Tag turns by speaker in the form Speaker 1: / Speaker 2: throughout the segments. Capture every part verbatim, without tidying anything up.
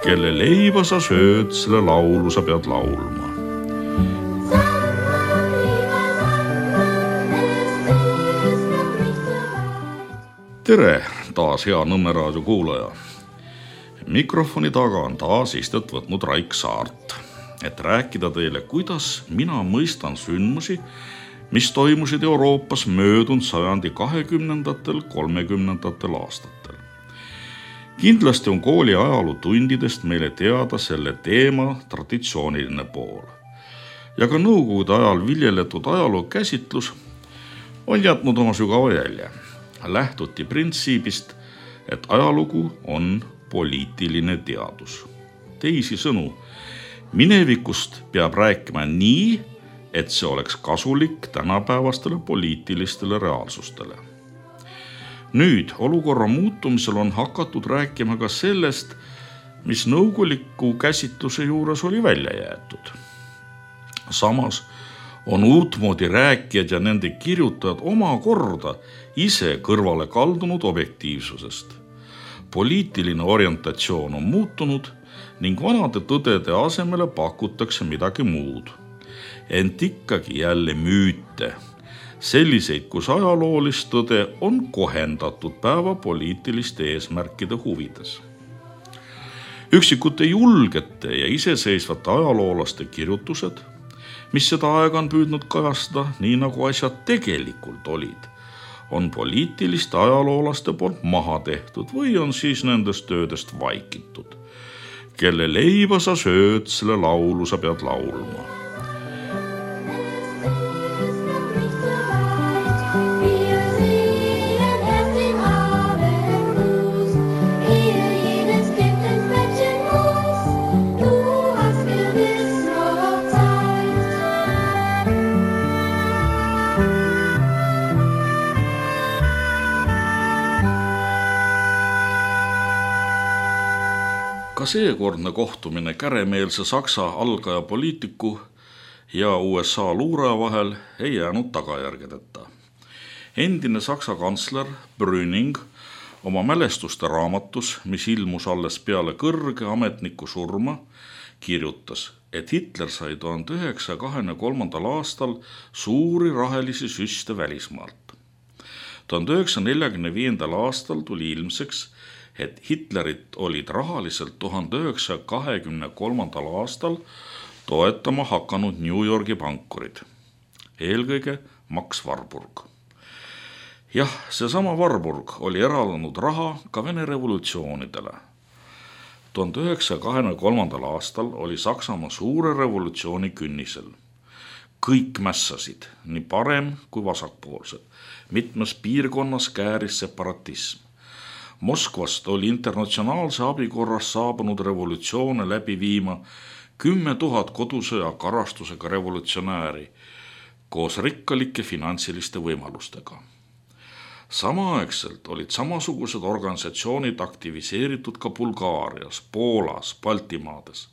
Speaker 1: Kelle leiba sa sööd, selle laulu sa pead laulma. Tere, taas hea Nõmme raadio kuulaja. Mikrofoni taga on taas istet võtnud Raik Saart, et rääkida teile, kuidas mina mõistan sündmusi, mis toimusid Euroopas möödunud sajandi kahekümnendatel, kolmekümnendatel aastatel. Kindlasti on kooli ajalootundidest meile teada selle teema traditsiooniline pool. Ja ka nõukogude ajal viljeletud ajaloo käsitlus on jätnud oma sügava jälje. Lähtuti printsiibist, et ajalugu on poliitiline teadus. Teisi sõnu, minevikust peab rääkima nii, et see oleks kasulik tänapäevastele poliitilistele reaalsustele. Nüüd olukorra muutumisel on hakatud rääkima ka sellest, mis nõukoguliku käsitluse juures oli välja jäetud. Samas on uutmoodi rääkijad ja nende kirjutajad oma korda ise kõrvale kaldunud objektiivsusest. Poliitiline orientatsioon on muutunud ning vanade tõdede asemele pakutakse midagi muud. Ent ikkagi jälle müüte. Selliseid, kus ajaloolist tõde on kohendatud päeva poliitiliste eesmärkide huvides. Üksikute julgete ja iseseisvate ajaloolaste kirjutused, mis seda aega on püüdnud kajastada, nii nagu asjad tegelikult olid, on poliitiliste ajaloolaste poolt maha tehtud või on siis nendest töödest vaikitud. Kelle leiba sa sööd, selle laulu sa pead laulma. Ka seekordne kohtumine käremeelse Saksa algaja poliitiku ja U S A luuraja vahel ei jäänud tagajärgedeta. Endine Saksa kantsler Brüning oma mälestuste raamatus, mis ilmus alles peale kõrge ametniku surma, kirjutas, et Hitler sai tuhande üheksasaja kahekümne kolmandal aastal suuri rahelisi süste välismaalt. tuhande üheksasaja neljakümne viiendal aastal tuli ilmseks, et Hitlerit olid rahaliselt tuhande üheksasaja kahekümne kolmandal aastal toetama hakanud New Yorgi pankurid, eelkõige Max Warburg. Jah, seesama Warburg oli eraldanud raha ka Vene revolutsioonidele. tuhande üheksasaja kahekümne kolmandal aastal oli Saksamaa suure revolutsiooni künnisel. Kõik mässasid, nii parem kui vasakpoolsed. Mitmes piirkonnas kääris separatism. Moskvast oli internatsionaalse abikorras saabunud revolutsioone läbi viima kümme tuhat kodusõja karastusega revolutsionääri koos rikkalike finantsiliste võimalustega. Samaaegselt olid samasugused organisatsioonid aktiviseeritud ka Bulgaarias, Poolas, Baltimaades.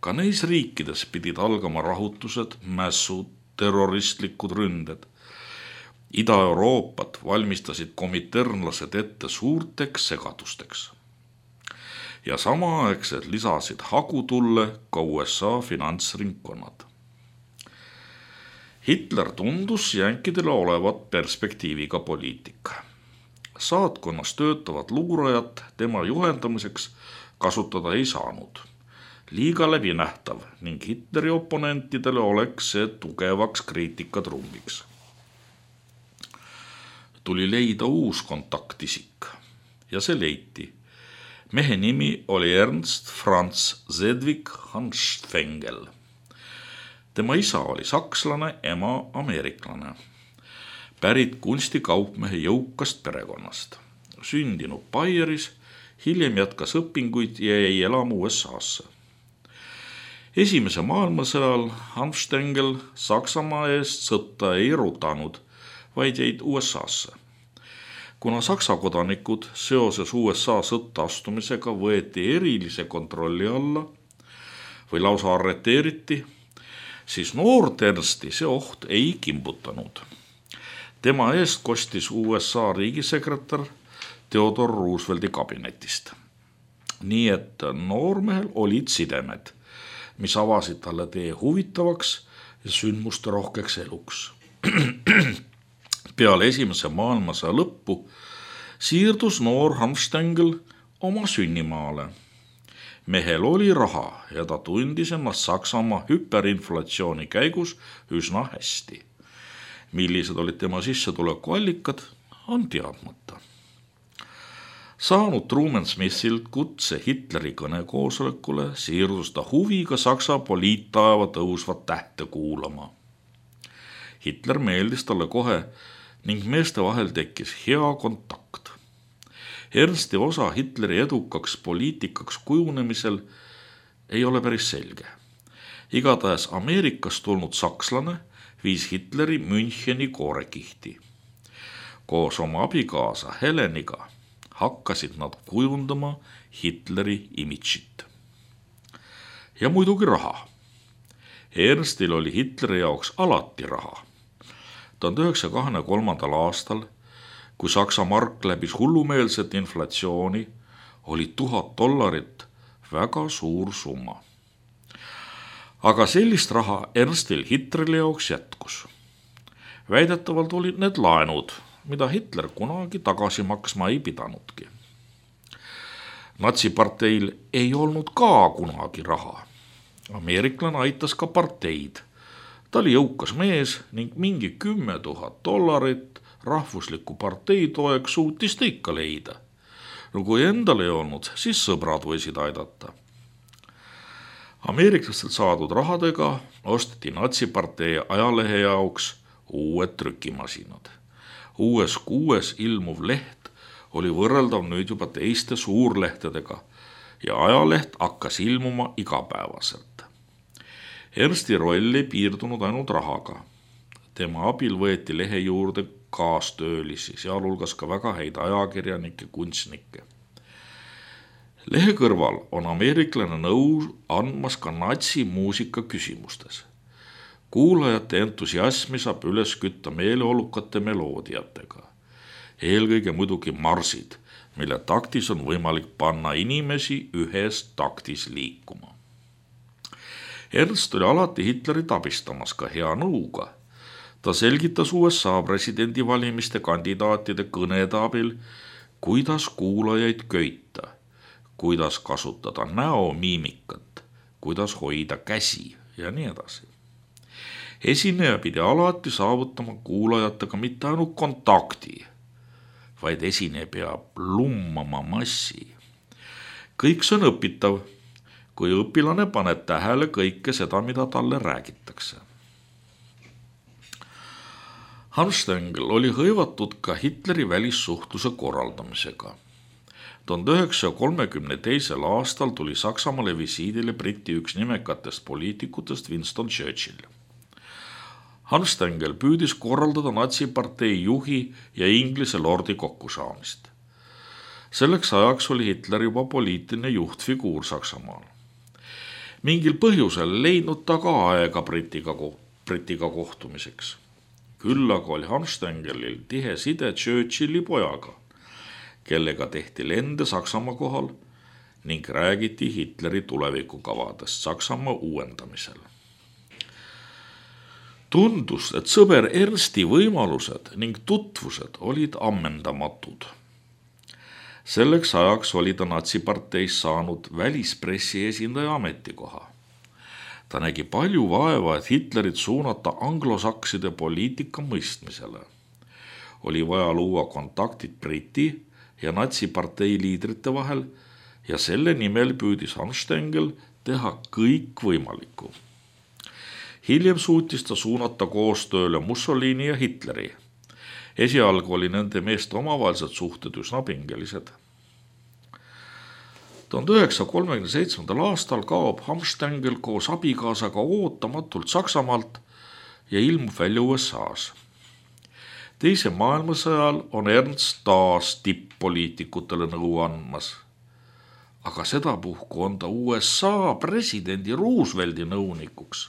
Speaker 1: Ka neis riikides pidid algama rahutused, mässud, terroristlikud ründed. Ida-Euroopat valmistasid komiternlased ette suurteks segadusteks. Ja samaaegselt lisasid hagutulle ka U S A finantsringkonnad. Hitler tundus jänkidele olevat perspektiiviga poliitik. Saatkonnas töötavad luurajat tema juhendamiseks kasutada ei saanud. Liiga läbinähtav ning Hitleri oponentidele oleks see tugevaks kriitikatrummiks. Tuli leida uus kontaktisik ja see leiti. Mehe nimi oli Ernst Franz Sedgwick Hanfstaengl. Tema isa oli sakslane, ema ameeriklane. Pärit kunstikaupmehe jõukast perekonnast. Sündinud Baieris, hiljem jätkas õpinguid ja jäi elama U S A-sse. Esimese maailmasõjal Hanfstaengl Saksamaa eest sõtta ei rutanud, vaid jäid U S A-sse. Kuna Saksa kodanikud seoses U S A sõtta astumisega võeti erilise kontrolli alla või lausa arreteeriti, siis noort Ernsti see oht ei kimbutanud. Tema eest kostis U S A riigisekretär Theodore Roosevelti kabinetist. nii et noormehel olid sidemed, mis avasid talle tee huvitavaks ja sündmuste rohkeks eluks. Peale esimese maailmasõja lõppu siirdus noor Hanfstengel oma sünnimaale. Mehel oli raha ja ta tundis ennast Saksamaa hüperinflatsiooni käigus üsna hästi. Millised olid tema sissetulekuallikad, on teadmata. Saanud Truman Smithilt kutse Hitleri kõnekoosolekule, siirdus ta huviga Saksa poliittaeva tõusvat tähte kuulama. Hitler meeldis talle kohe ning meeste vahel tekkis hea kontakt. Ernsti osa Hitleri edukaks poliitikaks kujunemisel ei ole päris selge. Igatahes Ameerikast tulnud sakslane viis Hitleri Müncheni koorekihti. Koos oma abikaasa Heleniga hakkasid nad kujundama Hitleri imidžit. Ja muidugi raha. Ernstil oli Hitleri jaoks alati raha. tuhande üheksasaja kahekümne kolmandal aastal, kui Saksa mark läbis hullumeelset inflatsiooni, oli tuhat dollarit väga suur summa. Aga sellist raha Ernstil Hitleri jaoks jätkus. Väidetavalt olid need laenud, mida Hitler kunagi tagasi maksma ei pidanudki. Natsiparteil ei olnud ka kunagi raha. Ameeriklane aitas ka parteid. Ta oli jõukas mees ning mingi kümme tuhat dollarit rahvusliku partei toeks suutis ta ikka leida. No kui endal ei olnud, siis sõbrad võisid aidata. Ameeriklastelt saadud rahadega osteti natsipartei ajalehe jaoks uued trükimasinad. Uues kuues ilmuv leht oli võrreldav nüüd juba teiste suurlehtedega ja ajaleht hakkas ilmuma igapäevaselt. Ernsti roll ei piirdunud ainult rahaga. Tema abil võeti lehe juurde kaastöölisi, sealhulgas ka väga häid ajakirjanikke, kunstnikke. Lehe kõrval on ameeriklane nõu andmas ka natsimuusika küsimustes. Kuulajate entusiasmi saab üles kütta meeleolukate meloodiatega. Eelkõige muidugi marsid, mille taktis on võimalik panna inimesi ühes taktis liikuma. Ernst oli alati Hitlerit abistamas ka hea nõuga. Ta selgitas U S A presidendivalimiste kandidaatide kõnede abil, kuidas kuulajaid köita, kuidas kasutada näomiimikat, kuidas hoida käsi ja nii edasi. Esineja pidi alati saavutama kuulajatega mitte ainult kontakti, vaid esineja peab lummama massi. Kõik see on õpitav, kui õpilane paneb tähele kõike seda, mida talle räägitakse. Hanfstengel oli hõivatud ka Hitleri välissuhtluse korraldamisega. tuhande üheksasaja kolmekümne teisel aastal tuli Saksamaale visiidile Briti üks nimekatest poliitikutest Winston Churchill. Hanfstengel püüdis korraldada natsipartei juhi ja Inglise lordi kokkusaamist. Selleks ajaks oli Hitler juba poliitiline juhtfiguur Saksamaal. Mingil põhjusel leidnud ta ka aega Britiga, Britiga kohtumiseks. Küll aga oli Hanfstengelil tihe side Churchilli pojaga, kellega tehti lende Saksamaa kohal ning räägiti Hitleri tulevikukavadest Saksamaa uuendamisel. Tundus, et sõber Ernsti võimalused ning tutvused olid ammendamatud. Selleks ajaks oli ta natsiparteis saanud välispressi esindaja ametikoha. Ta nägi palju vaeva, et Hitlerit suunata anglosakside poliitika mõistmisele. Oli vaja luua kontaktid Briti ja natsipartei liidrite vahel ja selle nimel püüdis Hanfstengel teha kõik võimalikku. Hiljem suutis ta suunata koostööle Mussolini ja Hitleri. Esialgu oli nende meeste omavahelised suhted üsna pingelised. tuhande üheksasaja kolmekümne seitsmendal aastal kaob Hanfstengel koos abikaasaga ootamatult Saksamaalt ja ilmub välja U S A-s. Teise maailmasõjal on Ernst taas tipp-poliitikutele nõu andmas. Aga sedapuhku on ta U S A presidendi Roosevelti nõunikuks.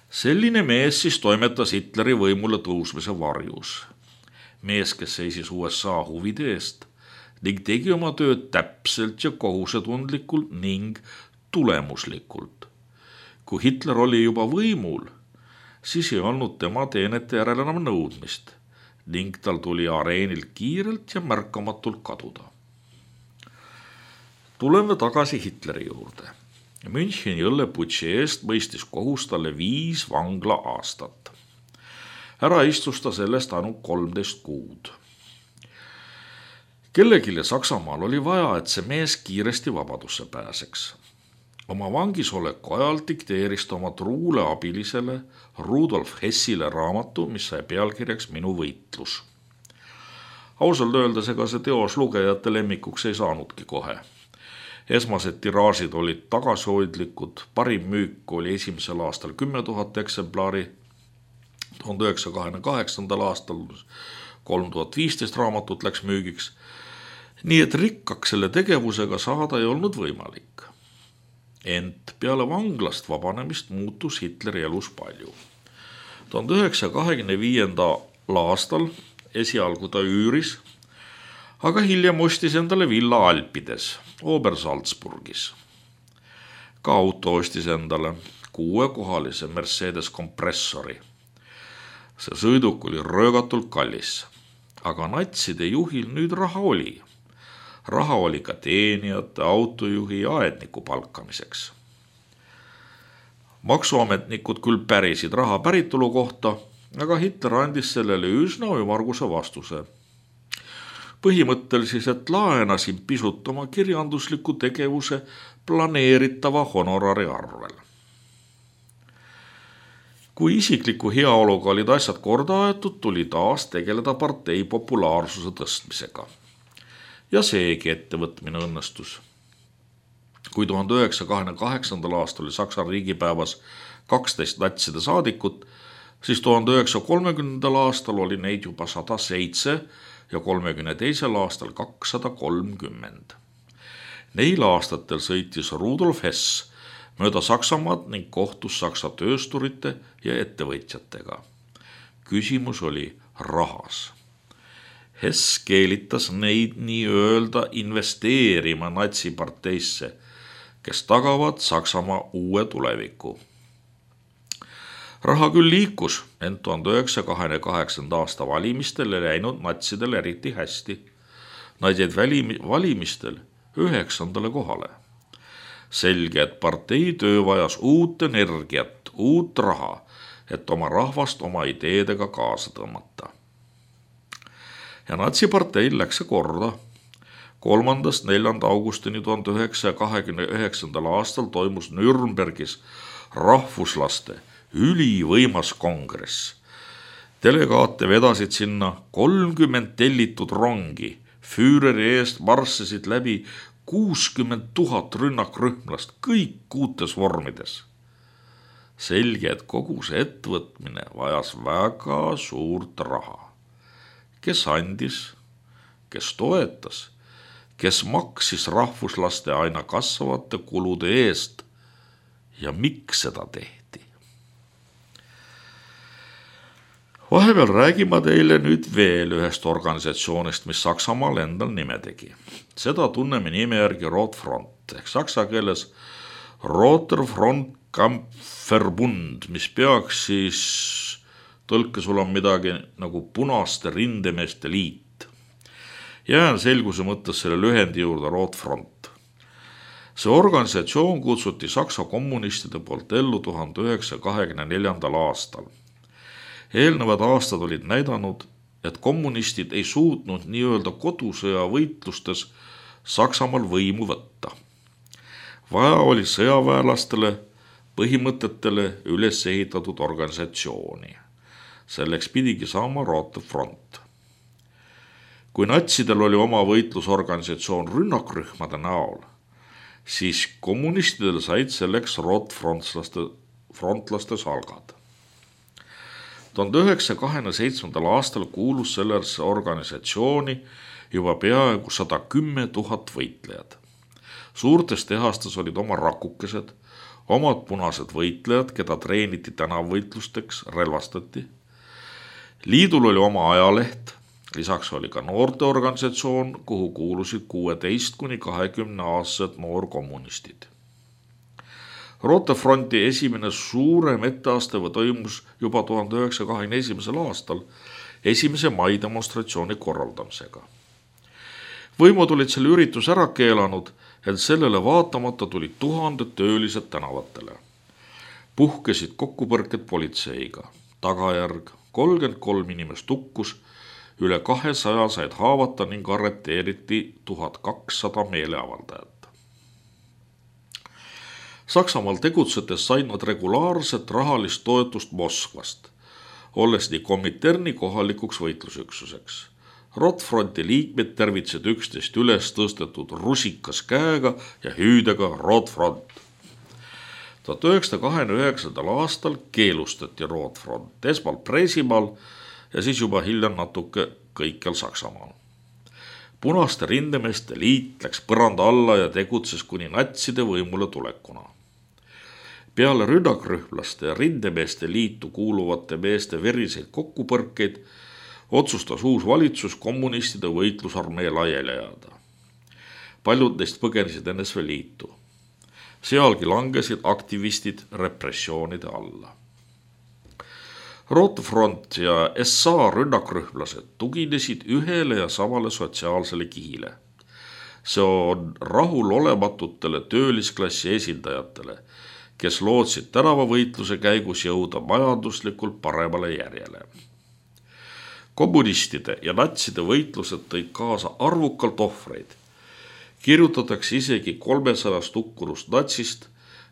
Speaker 1: Selline mees siis toimetas Hitleri võimule tõusmise varjus. Mees, kes seisis U S A huvide eest, ning tegi oma tööd täpselt ja kohusetundlikult ning tulemuslikult. Kui Hitler oli juba võimul, siis ei olnud tema teenete järel enam nõudmist ning tal tuli areenilt kiirelt ja märkamatult kaduda. Tuleme tagasi Hitleri juurde. Müncheni õlleputši eest mõistis kohus talle viis vangla aastat. Ära istus ta sellest ainult kolmteist kuud. Kellegile Saksamaal oli vaja, et see mees kiiresti vabadusse pääseks. Oma vangisoleku ajal dikteeris ta oma truule abilisele Rudolf Hessile raamatu, mis sai pealkirjaks Minu võitlus. Ausalt öeldes ega see teos lugejate lemmikuks ei saanudki kohe. Esmased tiraažid olid tagasihoidlikud, parim müük oli esimesel aastal kümme tuhat eksemplari, tuhande üheksasaja kahekümne kaheksandal aastal kolm tuhat viisteist raamatut läks müügiks, nii et rikkaks selle tegevusega saada ei olnud võimalik. Ent peale vanglast vabanemist muutus Hitleri elus palju. tuhande üheksasaja kahekümne viiendal aastal esialgu ta üüris, aga hiljem ostis endale villa Alpides, Obersalzburgis. Ka auto ostis endale kuuekohalise Mercedes kompressori. See sõiduk oli röögatult kallis, aga natside juhil nüüd raha oli. Raha oli ka teenijate, autojuhi ja aedniku palkamiseks. Maksuametnikud küll pärisid raha päritolu kohta, aga Hitler andis sellele üsna ümarguse vastuse. Põhimõttel siis, et laenasin pisut oma kirjandusliku tegevuse planeeritava honorari arvel. Kui isikliku heaoluga olid asjad korda aetud, tuli taas tegeleda partei populaarsuse tõstmisega. Ja seegi ettevõtmine õnnestus. Kui tuhande üheksasaja kahekümne kaheksandal aastal oli Saksa riigipäevas kaksteist natside saadikut, siis tuhande üheksasaja kolmekümnendal aastal oli neid juba sada seitse ja kolmekümne teisel aastal kakssada kolmkümmend. Neil aastatel sõitis Rudolf Hess mööda Saksamaad ning kohtus Saksa töösturite ja ettevõtjatega. Küsimus oli rahas. Hess keelitas neid nii-öelda investeerima natsiparteisse, kes tagavad Saksamaa uue tuleviku. Raha küll liikus, ent tuhande üheksasaja kahekümne kaheksanda aasta valimistel ei läinud natsidel eriti hästi. Nad jäid valimistel üheksandale kohale. Selge, et partei töö vajas uut energiat, uut raha, et oma rahvast oma ideedega kaasa tõmmata. Ja natsiparteil läks see korda. kolmandast neljanda augustini tuhande üheksasaja kahekümne üheksandal aastal toimus Nürnbergis rahvuslaste ülivõimas kongress. Delegaate vedasid sinna kolmkümmend tellitud rongi. Füüreri eest marssisid läbi kuuskümmend tuhat rünnakrühmlast, kõik uutes vormides. Selge, et kogu see ettevõtmine vajas väga suurt raha. Kes andis, kes toetas, kes maksis rahvuslaste aina kasvavate kulude eest ja miks seda tehti. Vahepeal räägime teile nüüd veel ühest organisatsioonist, mis Saksamaal endal nime tegi. Seda tunneme nime järgi Rotfront ehk saksa keeles Roter Front Kampfverbund, mis peaks siis tõlke sul on midagi nagu punaste rindemeeste liit. Jään selguse mõttes selle lühendi juurde Rotfront. See organisatsioon kutsuti Saksa kommunistide poolt ellu tuhande üheksasaja kahekümne neljandal aastal. Eelnevad aastad olid näidanud, et kommunistid ei suutnud nii-öelda kodusõja võitlustes Saksamaal võimu võtta. Vaja oli sõjaväelastele põhimõtetele üles ehitatud organisatsiooni. Selleks pidigi saama Rotfront. Kui natsidel oli oma võitlusorganisatsioon rünnakrühmade näol, siis kommunistidel said selleks Rotfrontlaste frontlaste salgad. tuhande üheksasaja kahekümne seitsmendal aastal kuulus sellesse organisatsiooni juba peaaegu sada kümme tuhat võitlejad. Suurtes tehastes olid oma rakukesed, omad punased võitlejad, keda treeniti tänavvõitlusteks, relvastati. Liidul oli oma ajaleht, Lisaks oli ka noorteorganisatsioon, kuhu kuulusid kuueteist kuni kahekümne aastased noorkommunistid. Rootefronti esimene suurem etteasteva toimus juba tuhande üheksasaja kahekümne esimesel aastal esimese mai demonstratsiooni korraldamisega. Võimud olid selle üritus ära keelanud, et sellele vaatamata tulid tuhanded töölised tänavatele. Puhkesid kokkupõrked politseiga. Tagajärg kolmkümmend kolm inimest hukkus, üle kahesaja said haavata ning arreteeriti tuhat kakssada meeleavaldajat. Saksamaal tegutsedes said nad regulaarset rahalist toetust Moskvast, olles nii Kominterni kohalikuks võitlusüksuseks. Rotfronti liikmed tervitsid üksteist üles tõstetud rusikas käega ja hüüdega Rotfront. tuhat üheksasada kahekümne üheksandal aastal keelustati Rotfront esmalt Preisimaal ja siis juba hiljem natuke kõikjal Saksamaal. Punaste rindemeeste liit läks põranda alla ja tegutses kuni natside võimule tulekuna. Peale rünnakrühmlaste ja rindemeeste liitu kuuluvate meeste veriseid kokkupõrkeid otsustas uus valitsus kommunistide võitlusarmee laiali ajada. Paljud neist põgenesid N S V Liitu. Sealgi langesid aktivistid repressioonide alla. Rotefront ja S A rünnakrühmlased tuginesid ühele ja samale sotsiaalsele kihile. See on rahulolematutele töölisklassi esindajatele, kes lootsid tänavavõitluse käigus jõuda majanduslikult paremale järjele. Kommunistide ja natside võitlused tõid kaasa arvukalt ohvreid. Kirjutatakse isegi kolmesajast hukkunust natsist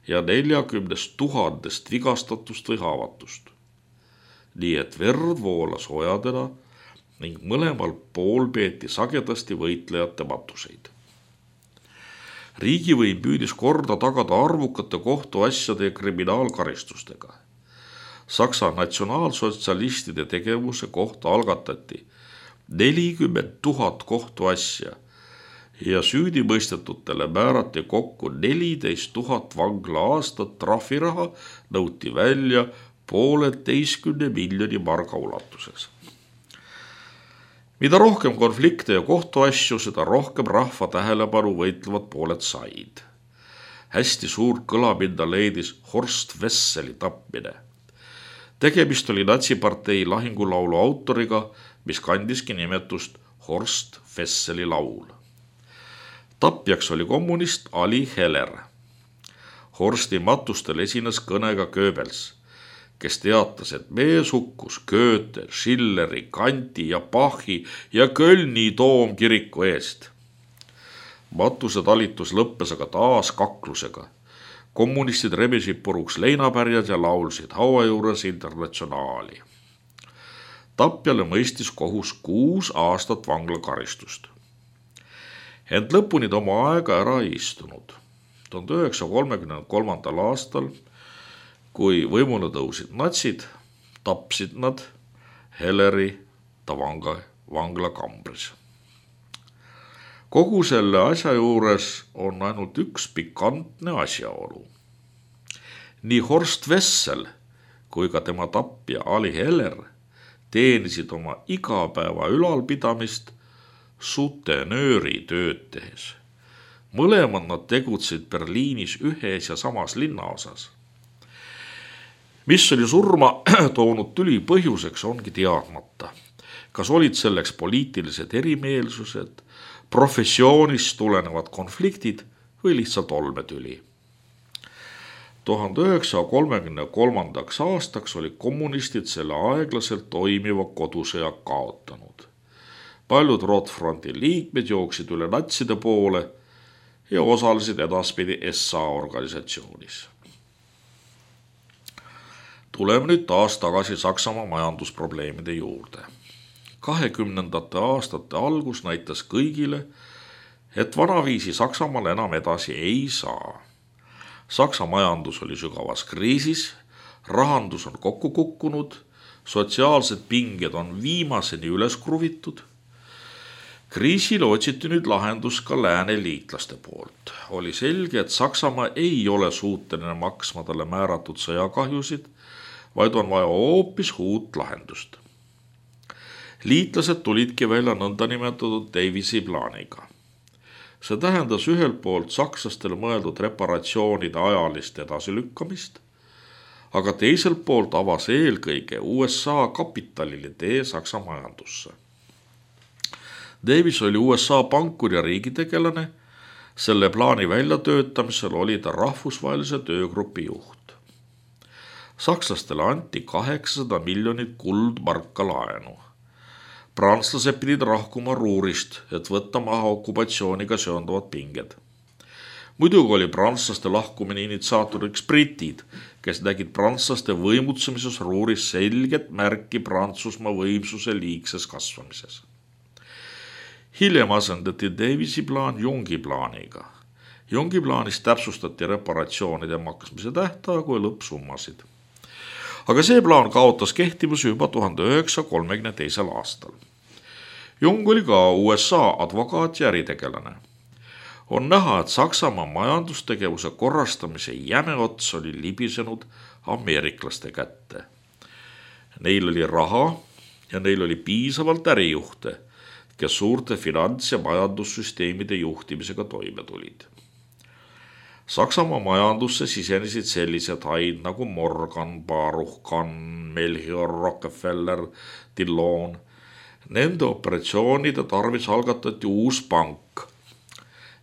Speaker 1: ja neljakümnest tuhandest vigastatust või haavatust. Nii et verd voolas ojadena ning mõlemal pool peeti sagedasti võitlejate matuseid. Riigivõim püüdis korda tagada arvukate kohtuasjade ja kriminaalkaristustega. Saksa natsionaalsotsialistide tegevuse kohta algatati nelikümmend tuhat kohtuasja ja süüdimõistetutele määrati kokku neliteist tuhat vangla aastat trahviraha, nõuti välja pooleteistkümne miljoni marga ulatuses. Mida rohkem konflikte ja kohtuasju, seda rohkem rahva tähelepanu võitlevad pooled said. Hästi suurt kõlapinda leidis Horst Wesseli tapmine. Tegemist oli natsipartei lahingulaulu autoriga, mis kandiski nimetust Horst Wesseli laul. Tapjaks oli kommunist Ali Heller. Horsti matustel esines kõnega Goebbels, kes teatas, et mees hukkus Goethe, Schilleri, Kanti ja Bachi ja Kölni toomkiriku eest. Matuse talitus lõppes aga taas kaklusega. Kommunistid rebisid puruks leinapärjad ja laulsid haua juures Internatsionaali. Tapjale mõistis kohus kuus aastat vanglakaristust. Ent lõpuni ta oma aega ära ei istunud. tuhande üheksasaja kolmekümne kolmandal aastal, kui võimule tõusid natsid, tapsid nad Helleri Tavanga vangla kambris. Kogu selle asja juures on ainult üks pikantne asjaolu. Nii Horst Wessel kui ka tema tapja Ali Heller teenisid oma igapäeva ülalpidamist sutenööri tööd tehes. Mõlemad nad tegutsid Berliinis ühes ja samas linnaosas. Mis oli surma toonud tüli põhjuseks, ongi teadmata. Kas olid selleks poliitilised erimeelsused, professioonist tulenevad konfliktid või lihtsalt olmetüli. tuhande üheksasaja kolmekümne kolmandaks aastaks oli kommunistid selle aeglaselt toimiva kodusõja kaotanud. Paljud Rotfronti liikmed jooksid üle natside poole ja osalesid edaspidi S A organisatsioonis. Tuleme nüüd taas tagasi Saksamaa majandusprobleemide juurde. kahekümnendate aastate algus näitas kõigile, et vanaviisi Saksamaal enam edasi ei saa. Saksa majandus oli sügavas kriisis, rahandus on kokku kukkunud, sotsiaalsed pinged on viimaseni üles kruvitud. Kriisile otsiti nüüd lahendus ka lääne liitlaste poolt. Oli selge, et Saksamaa ei ole suuteline maksma talle määratud sõjakahjusid, vaid on vaja hoopis uut lahendust. liitlased tulidki välja nõndanimetatud Davisi plaaniga. See tähendas ühelt poolt sakslastele mõeldud reparatsioonide ajalist edasilükkamist, aga teiselt poolt avas eelkõige U S A kapitalile tee Saksa majandusse. Davis oli U S A pankur ja riigitegelane, selle plaani väljatöötamisel oli ta rahvusvahelise töögrupi juht. Sakslastele anti kaheksasada miljonit kuldmarka laenu. Prantslased pidid rahkuma Ruurist, et võtta maha okupatsiooniga seonduvad pinged. Muidugi oli prantslaste lahkumine initsiaatoriks britid, kes nägid prantslaste võimutsemises Ruuris selget märki Prantsusmaa võimsuse liigses kasvamises. Hiljem asendati Davisi plaan Youngi plaaniga. Youngi plaanis täpsustati reparatsioonide maksmise tähtaegu ja lõppsummasid. Aga see plaan kaotas kehtivuse juba tuhande üheksasaja kolmekümne teisel aastal. Young oli ka U S A advokaat ja äritegelane. On näha, et Saksamaa majandustegevuse korrastamise jäme ots oli libisenud ameeriklaste kätte. Neil oli raha ja neil oli piisavalt ärijuhte, kes suurte finants- ja majandussüsteemide juhtimisega toime tulid. Saksamaa majandusse sisenesid sellised haid nagu Morgan, Baruch, Kahn, Melchior, Rockefeller, Dillon. Nende operatsioonide tarvis algatati uus pank,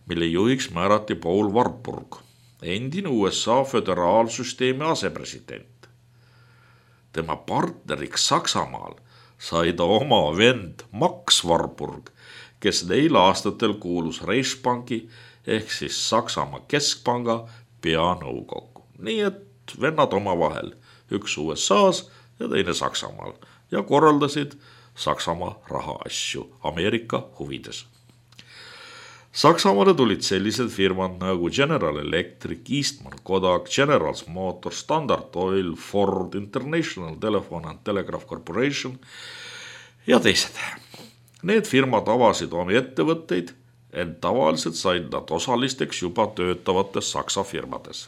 Speaker 1: mille juhiks määrati Paul Warburg, endine U S A föderaalsüsteemi asepresident. Tema partneriks Saksamaal sai ta oma vend Max Warburg, kes neil aastatel kuulus Reichsbanki ehk siis Saksamaa keskpanga peanõukokku. Nii et vennad omavahel, üks U S A-s ja teine Saksamaal ja korraldasid Saksamaa rahaasju Ameerika huvides. Saksamaale tulid sellised firmad nagu General Electric, Eastman Kodak, General Motors, Standard Oil, Ford, International Telephone and Telegraph Corporation ja teised. Need firmad avasid omi ettevõtteid, ent tavaliselt said nad osalisteks juba töötavates Saksa firmades.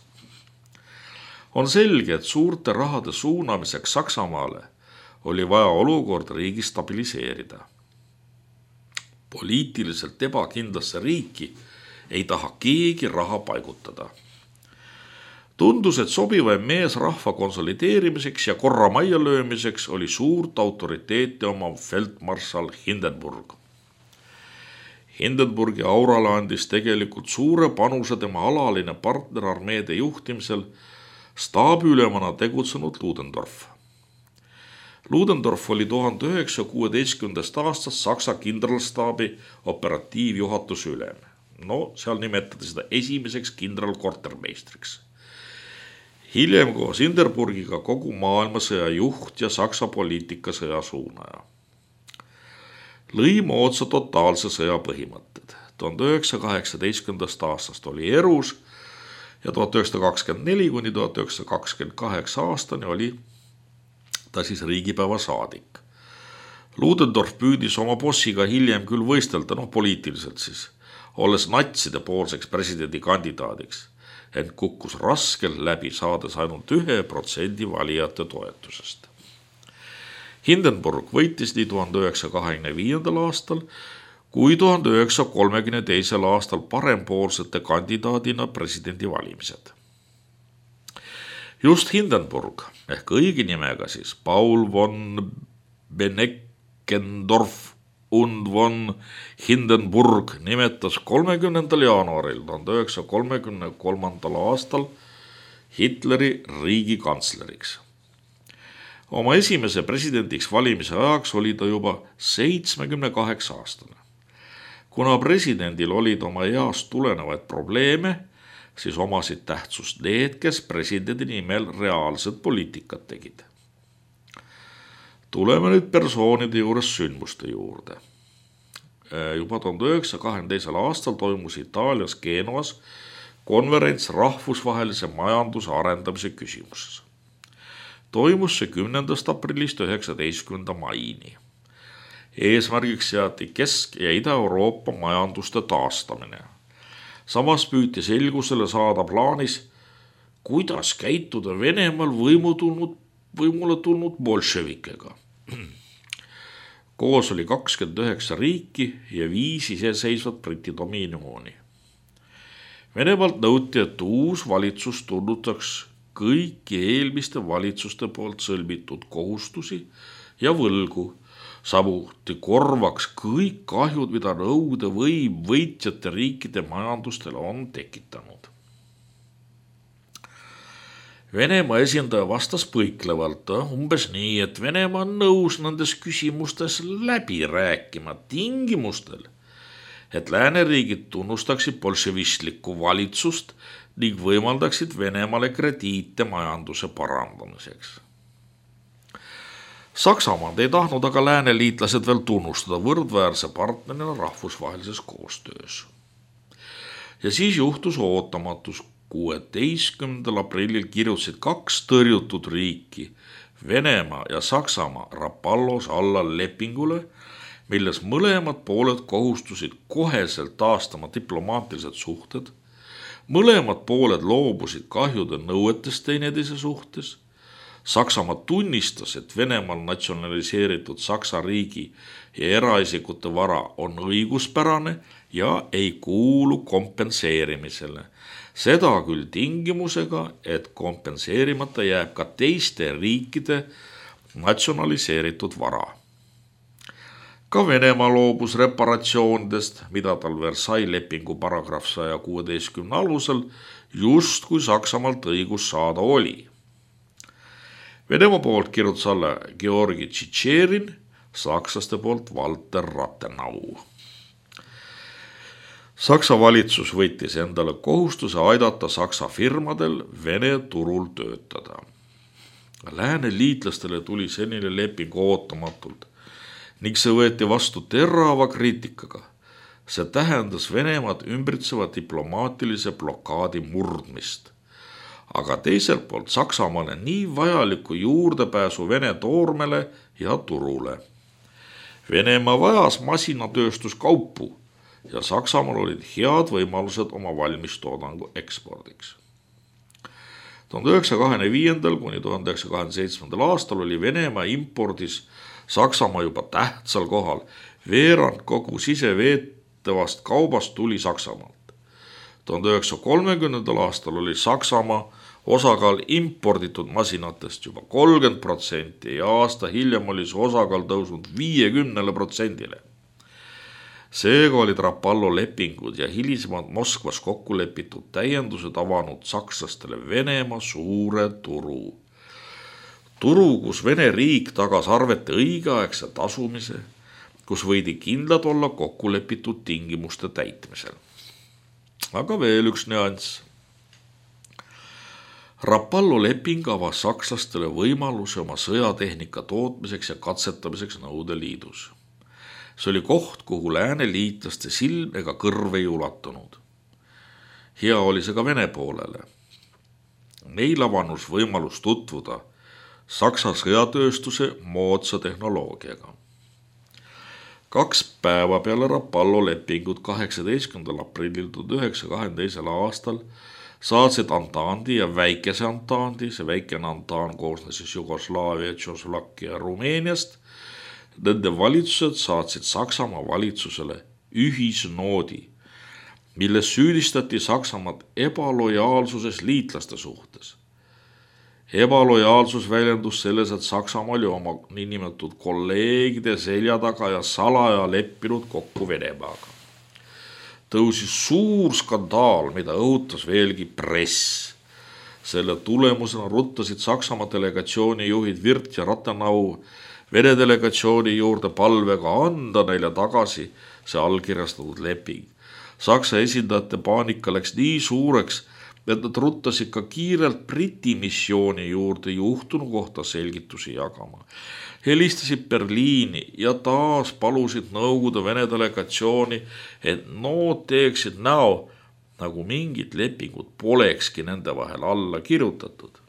Speaker 1: On selge, et suurte rahade suunamiseks Saksamaale oli vaja olukord riigi stabiliseerida. Poliitiliselt ebakindlasse riiki ei taha keegi raha paigutada. Tundus, et sobivaim mees rahva konsolideerimiseks ja korra majja löömiseks oli suurt autoriteeti omav feldmarssal Hindenburg. Hindenburgi aurale andis tegelikult suure panuse tema alaline partner armeede juhtimisel staabiülemana tegutsenud Ludendorff. Ludendorff oli tuhande üheksasaja kuueteistkümnendast aastast Saksa kindralstaabi operatiivjuhatuse ülem. No, seal nimetati seda esimeseks kindralkortermeistriks. Hiljem koos Hindenburgiga kogu maailmasõja juht ja Saksa poliitikasõja suunaja. Lõi moodsa totaalse sõja põhimõtted. tuhande üheksasaja kaheksateistkümnendast aastast oli erus ja tuhat üheksasada kakskümmend neli kuni tuhat üheksasada kakskümmend kaheksa aastani oli ta siis riigipäeva saadik. Ludendorff püüdis oma bossiga hiljem küll võistelda, noh poliitiliselt siis, olles natside poolseks presidendi kandidaadiks, ent kukkus raskel läbi, saades ainult ühe protsendi valijate toetusest. Hindenburg võitis nii tuhande üheksasaja kahekümne viiendal aastal kui tuhande üheksasaja kolmekümne teisel aastal parempoolsete kandidaadina presidendivalimised. Just Hindenburg ehk õige nimega siis Paul von Beneckendorff und von Hindenburg nimetas kolmekümnendal jaanuaril tuhande üheksasaja kolmekümne kolmandal aastal Hitleri riigikantsleriks. Oma esimese presidendiks valimise ajaks oli ta juba seitsmekümne kaheksa aastane. Kuna presidendil olid oma east tulenevaid probleeme, siis omasid tähtsust need, kes presidendi nimel reaalset poliitikat tegid. Tuleme nüüd persoonide juures sündmuste juurde. Juba tuhande üheksasaja kahekümne teisel aastal toimus Itaalias Genoas konverents rahvusvahelise majanduse arendamise küsimuses. Toimus see kümnendast aprillist üheksateistkümnenda maini. Eesmärgiks seati Kesk- ja Ida-Euroopa majanduste taastamine. Samas püüti selgusele saada plaanis, kuidas käituda Venemaal võimu tulnud, võimule tulnud bolševikega. Koos oli kakskümmend üheksa riiki ja viis iseseisvat Briti dominioni. Venemaalt nõuti, et uus valitsus tunnustaks kõiki eelmiste valitsuste poolt sõlmitud kohustusi ja võlgu, samuti korvaks kõik kahjud, mida Nõukogude võim võitjate riikide majandustele on tekitanud. Venemaa esindaja vastas põiklevalt umbes nii, et Venemaa on nõus nendes küsimustes läbi rääkima tingimustel, et lääneriigid tunnustaksid bolševistlikku valitsust ning võimaldaksid Venemaale krediite majanduse parandamiseks. Saksamaad ei tahtnud aga lääneliitlased veel tunnustada võrdväärse partnerina rahvusvahelises koostöös. Ja siis juhtus ootamatus. kuueteistkümnendal aprillil kirjutasid kaks tõrjutud riiki, Venemaa ja Saksamaa Rapallos alla lepingule, milles mõlemad pooled kohustusid koheselt taastama diplomaatilised suhted, mõlemad pooled loobusid kahjude nõuetest teineteise suhtes, Saksamaa tunnistas, et Venemaal natsionaliseeritud Saksa riigi ja eraisikute vara on õiguspärane ja ei kuulu kompenseerimisele. Seda küll tingimusega, et kompenseerimata jääb ka teiste riikide natsionaliseeritud vara. Ka Venemaa loobus reparatsioonidest, mida tal Versailles lepingu paragrahv sada kuusteist alusel just kui Saksamaalt õigus saada oli. Venemaa poolt kirjutas alla Georgi Tšitšerin, sakslaste poolt Walter Rathenau. Saksa valitsus võttis endale kohustuse aidata Saksa firmadel Vene turul töötada. Lääne liitlastele tuli senine leping ootamatult ning see võeti vastu terava kriitikaga. See tähendas Venemaad ümbritseva diplomaatilise blokaadi murdmist. Aga teiselt poolt Saksamaale nii vajaliku juurdepääsu Vene toormele ja turule. Venemaa vajas masinatööstuskaupu ja Saksamaal olid head võimalused oma valmistoodangu ekspordiks. tuhande üheksasaja kahekümne viiendal kuni tuhande üheksasaja kahekümne seitsmendal aastal oli Venemaa impordis Saksamaa juba tähtsal kohal. Veerand kogu siseveetavast kaubast tuli Saksamaalt. tuhande üheksasaja kolmekümnendal aastal oli Saksamaa osakaal imporditud masinatest juba kolmkümmend protsenti ja aasta hiljem oli see osakaal tõusnud viiekümnele protsendile. Seega olid Rapallo lepingud ja hilisemad Moskvas kokku lepitud täiendused avanud sakslastele Venemaa suure turu. Turu, kus Vene riik tagas arvete õigeaegse tasumise, kus võidi kindlad olla kokku lepitud tingimuste täitmisel. Aga veel üks nüanss. Rapallo leping avas sakslastele võimaluse oma sõjatehnika tootmiseks ja katsetamiseks Nõukogude Liidus. See oli koht, kuhu lääne liitlaste silm ega kõrv ei ulatunud. Hea oli see ka Vene poolele. Neil avanus võimalus tutvuda Saksa sõjatööstuse moodsa tehnoloogiaga. Kaks päeva peale Rapallo lepingut kaheksateistkümnendal aprillil tuhande üheksasaja kahekümne teisel aastal saatsid Antandi ja väikese Antandi, see väikene Antaan koosnes siis Jugoslaavia, Tšoslovakkia ja Rumeeniast. Nende valitsused saatsid Saksamaa valitsusele ühisnoodi, milles süüdistati Saksamaad ebalojaalsuses liitlaste suhtes. Ebalojaalsus väljendus selles, et Saksamaa oli oma niinimetatud kolleegide selja taga ja salaja leppinud kokku Venemaaga. Tõusis suur skandaal, mida õhutas veelgi press. Selle tulemusena ruttasid Saksamaa delegatsiooni juhid Wirth ja Rathenau Vene delegatsiooni juurde palvega anda neile tagasi see allkirjastatud leping. Saksa esindajate paanika läks nii suureks, et nad ruttasid ka kiirelt Briti missiooni juurde juhtunu kohta selgitusi jagama. Helistasid Berliini ja taas palusid Nõukogude Vene delegatsiooni, et nood teeksid näo, nagu mingid lepingud polekski nende vahel alla kirjutatud.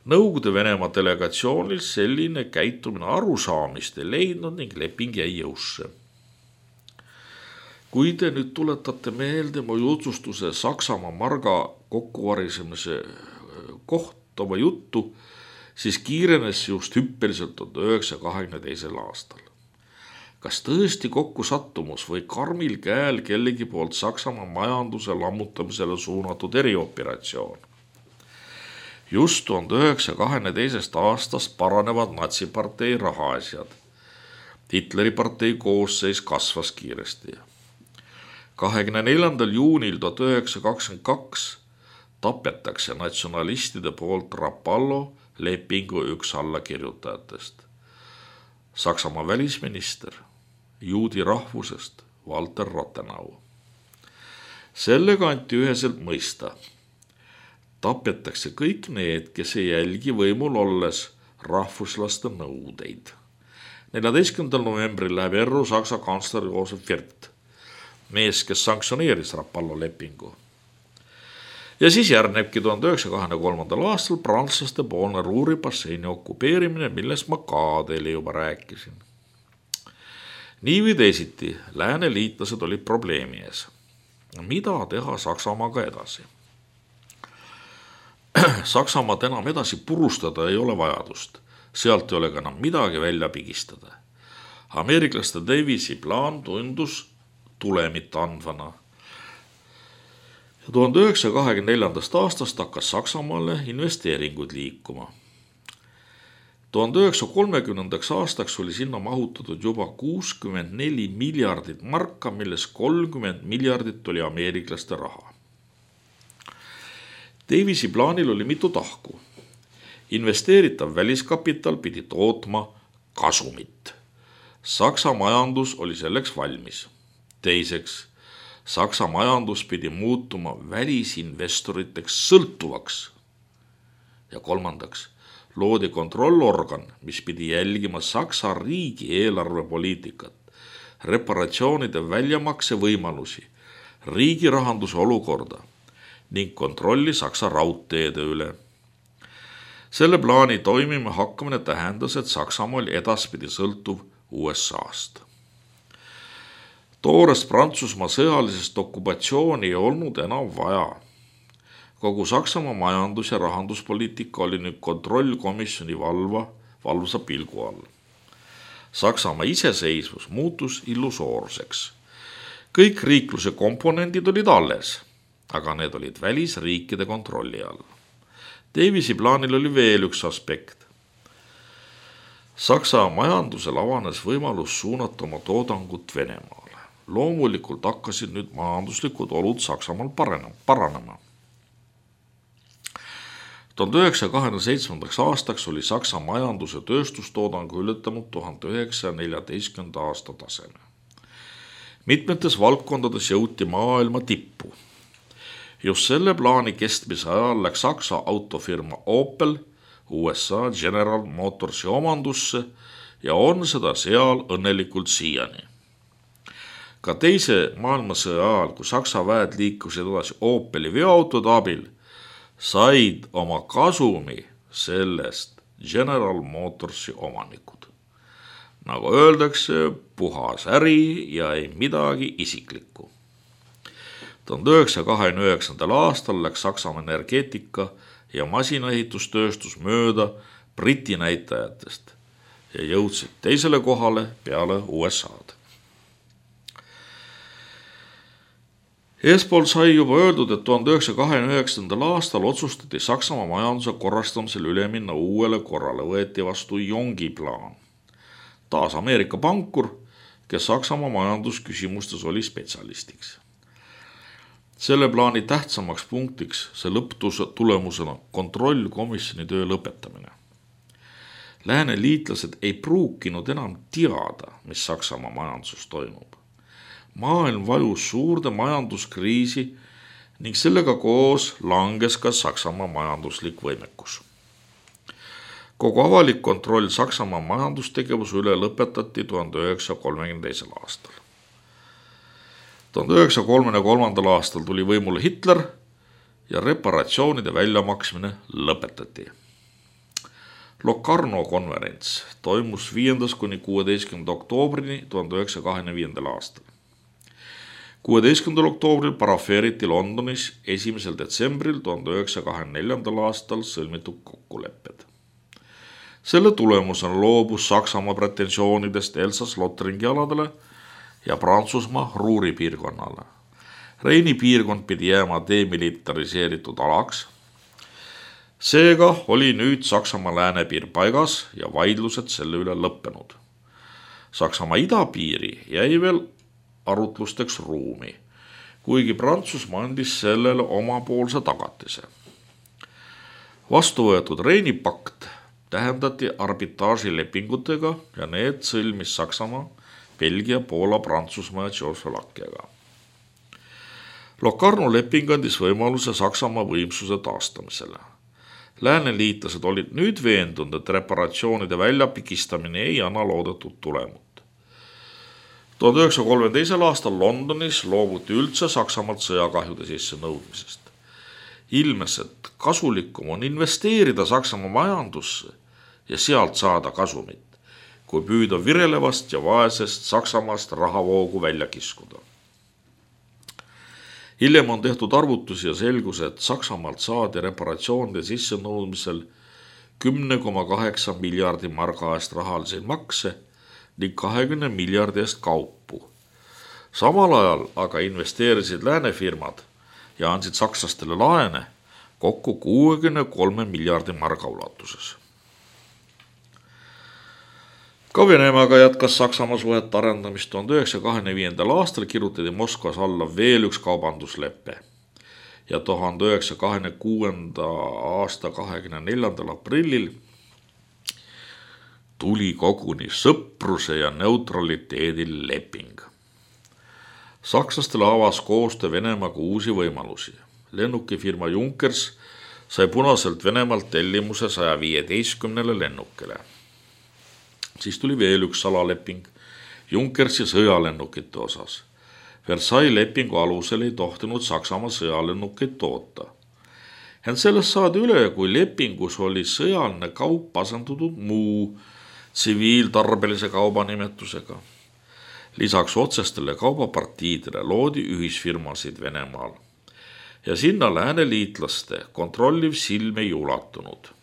Speaker 1: Nõukogude Venemaa delegatsioonil selline käitumine arusaamist ei leidnud ning leping jäi jõusse. Kui te nüüd tuletate meelde mu jutlustuse Saksamaa marga kokkuvarisemise kohta oma juttu, siis kiirenes just hüppeliselt tuhande üheksasaja kahekümne teisel aastal. Kas tõesti kokku sattumus või karmil käel kellegi poolt Saksamaa majanduse lammutamisele suunatud erioperatsioon? Just tuhande üheksasaja kahekümne teisest aastast paranevad natsipartei rahaasjad. Hitleri partei koosseis kasvas kiiresti. kahekümne neljandal juunil tuhat üheksasada kakskümmend kaks tapetakse natsionalistide poolt Rapallo lepingu üks allakirjutajatest. Saksamaa välisminister, juudi rahvusest Walter Rathenau. Sellega anti üheselt mõista. Tapetakse kõik need, kes ei jälgi võimul olles rahvuslaste nõudeid. neljateistkümnendal novembril läheb erru Saksa kantsler Josef Wirth, mees, kes sanktsioneeris Rapallo lepingu. Ja siis järgnebki tuhande üheksasaja kahekümne kolmandal aastal prantslaste poolne Ruhri basseini okupeerimine, millest ma ka teile juba rääkisin. Nii või teisiti, lääne liitlased olid probleemi ees. Mida teha Saksamaaga edasi? Saksamaad enam edasi purustada ei ole vajadust. Sealt ei ole ka enam midagi välja pigistada. Ameeriklaste Davisi plaan tundus tulemit andvana. Ja tuhande üheksasaja kahekümne neljandast aastast hakkas Saksamaale investeeringuid liikuma. tuhande üheksasaja kolmekümnendaks aastaks oli sinna mahutatud juba kuuskümmend neli miljardit marka, milles kolmkümmend miljardit oli ameeriklaste raha. Davisi plaanil oli mitu tahku. Investeeritav väliskapital pidi tootma kasumit. Saksa majandus oli selleks valmis. Teiseks, Saksa majandus pidi muutuma välisinvestoriteks sõltuvaks. Ja kolmandaks, loodi kontrollorgan, mis pidi jälgima Saksa riigi eelarvepoliitikat, reparatsioonide väljamakse võimalusi, riigi rahanduse olukorda ning kontrolli Saksa raudteede üle. Selle plaani toimima hakkamine tähendas, et Saksamaa oli edaspidi sõltuv U S A-st. Toorest Prantsusmaa sõjalisest okupatsiooni ei olnud enam vaja. Kogu Saksamaa majandus- ja rahanduspoliitika oli nüüd kontrollkomisjoni valva, valvsa pilgu all. Saksamaa iseseisvus muutus illusoorseks. Kõik riikluse komponendid olid alles, aga need olid välisriikide kontrolli all. Davisi plaanil oli veel üks aspekt. Saksa majandusel avanes võimalus suunata oma toodangut Venemaale. Loomulikult hakkasid nüüd majanduslikud olud Saksamaal paranema. tuhande üheksasaja kahekümne seitsmendaks aastaks oli Saksa majanduse tööstustoodangu ületanud tuhande üheksasaja neljateistkümnenda aasta taseme. Mitmetes valdkondades jõuti maailma tippu. Just selle plaani kestmise ajal läks Saksa autofirma Opel U S A General Motorsi omandusse ja on seda seal õnnelikult siiani. Ka teise maailmasõja ajal, kui Saksa väed liikusid edasi Opeli veoautode abil, said oma kasumi sellest General Motorsi omanikud. Nagu öeldakse, puhas äri ja ei midagi isiklikku. tuhande üheksasaja kahekümne üheksandal aastal läks Saksamaa energeetika ja masinaehitustööstus mööda Briti näitajatest ja jõudsid teisele kohale peale U S A-d. Eespool sai juba öeldud, et tuhande üheksasaja kahekümne üheksandal aastal otsustati Saksamaa majanduse korrastamisel üle minna uuele korrale, võeti vastu Jongi plaan. Taas Ameerika pankur, kes Saksamaa majandusküsimustes oli spetsialistiks. Selle plaani tähtsamaks punktiks see lõpptulemusena kontrollkomisjoni töö lõpetamine. Lääne liitlased ei pruukinud enam teada, mis Saksamaa majanduses toimub. Maailm vajus suurde majanduskriisi ning sellega koos langes ka Saksamaa majanduslik võimekus. Kogu avalik kontroll Saksamaa majandustegevuse üle lõpetati tuhande üheksasaja kolmekümne teisel aastal. tuhande üheksasaja kolmekümne kolmandal aastal tuli võimule Hitler ja reparatsioonide väljamaksmine lõpetati. Locarno konverents toimus viiendast kuni kuueteistkümnenda oktoobrini tuhande üheksasaja kahekümne viiendal aastal. kuueteistkümnendal oktoobril parafeeriti Londonis esimesel detsembril tuhande üheksasaja kahekümne neljandal aastal sõlmitud kokkulepped. Selle tulemusena loobus Saksamaa pretensioonidest Elsass-Lothringi aladele ja Prantsusmaa Ruuri piirkonnale. Reini piirkond pidi jääma demilitariseeritud alaks. Seega oli nüüd Saksamaa läänepiir paigas ja vaidlused selle üle lõppenud. Saksamaa idapiiri jäi veel arutlusteks ruumi, kuigi Prantsusmaa andis sellele omapoolse tagatise. Vastu võetud Reini pakt tähendati arbitraažilepingutega ja need sõlmis Saksamaa, Belgia, Poola, Prantsusmaa ja Tšehhoslovakkiaga. Locarno leping andis võimaluse Saksamaa võimsuse taastamisele. Lääneliitlased olid nüüd veendunud, et reparatsioonide väljapikistamine ei anna loodetud tulemut. tuhande üheksasaja kolmekümne aastal Londonis loobuti üldse Saksamaalt sõjakahjude sisse nõudmisest. Ilmes, et kasulikum on investeerida Saksamaa majandusse ja sealt saada kasumit, kui püüda virelevast ja vaesest Saksamaast rahavoogu välja kiskuda. Hiljem on tehtud arvutusi ja selgus, et Saksamaalt saadi reparatsioonide sisse nõudmisel kümme koma kaheksa miljardi marga eest rahaliseid makse ning kahekümne miljardi eest kaupu. Samal ajal aga investeerisid läänefirmad ja andsid sakslastele laene kokku kuuekümne kolme miljardi marga ulatuses. Ka Venemaaga jätkas Saksamaa suhet arendamist. tuhande üheksasaja kahekümne viiendal aastal kirjutati Moskvas alla veel üks kaubanduslepe ja tuhande üheksasaja kahekümne kuuenda aasta kahekümne neljandal aprillil tuli koguni sõpruse ja neutraliteedil leping. Sakslastele avas koostöö Venemaaga uusi võimalusi. Lennukifirma Junkers sai punaselt Venemaalt tellimuse saja viieteistkümnele lennukile. Siis tuli veel üks salaleping Junkersi sõjalennukite osas. Versailles lepingu alusel ei tohtinud Saksamaa sõjalennukeid toota. Ent sellest saadi üle, kui lepingus oli sõjaline kaup asendatud muu tsiviiltarbelise kauba nimetusega. Lisaks otsestele kaubapartiidele loodi ühisfirmasid Venemaal ja sinna lääneliitlaste kontrolliv silm ei ulatunud.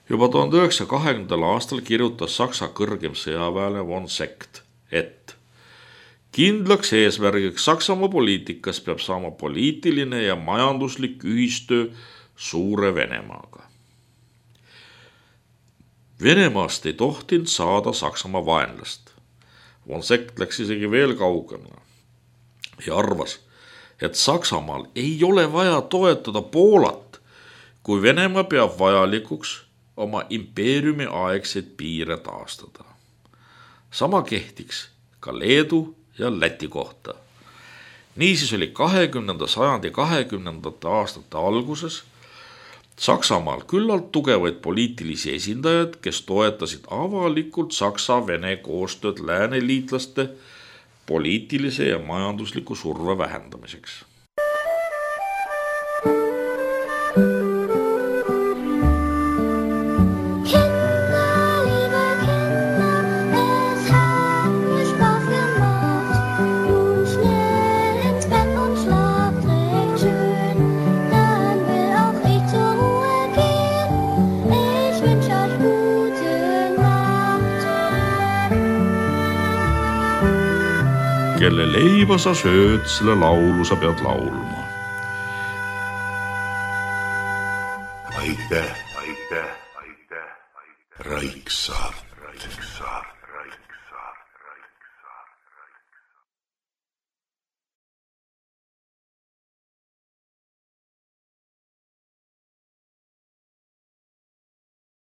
Speaker 1: Juba tuhande üheksasaja kahekümnendal aastal kirjutas Saksa kõrgem sõjaväele von Sekt, et kindlaks eesmärgiks Saksamaa poliitikas peab saama poliitiline ja majanduslik ühistöö Suure Venemaaga. Venemaast ei tohtinud saada Saksamaa vaenlast. Von Sekt läks isegi veel kaugemale ja arvas, et Saksamaal ei ole vaja toetada Poolat, kui Venemaa peab vajalikuks oma impeeriumi aegseid piire taastada. Sama kehtiks ka Leedu ja Läti kohta. Niisiis oli kahekümnenda sajandi kahekümnendate aastate alguses Saksamaal küllalt tugevaid poliitilisi esindajaid, kes toetasid avalikult Saksa-Vene koostööd lääneliitlaste poliitilise ja majandusliku surve vähendamiseks. Kelle leiba sa sööd, selle laulu sa pead laulma.
Speaker 2: Aitäh, aitäh, aitäh, aitäh. Raik Saart.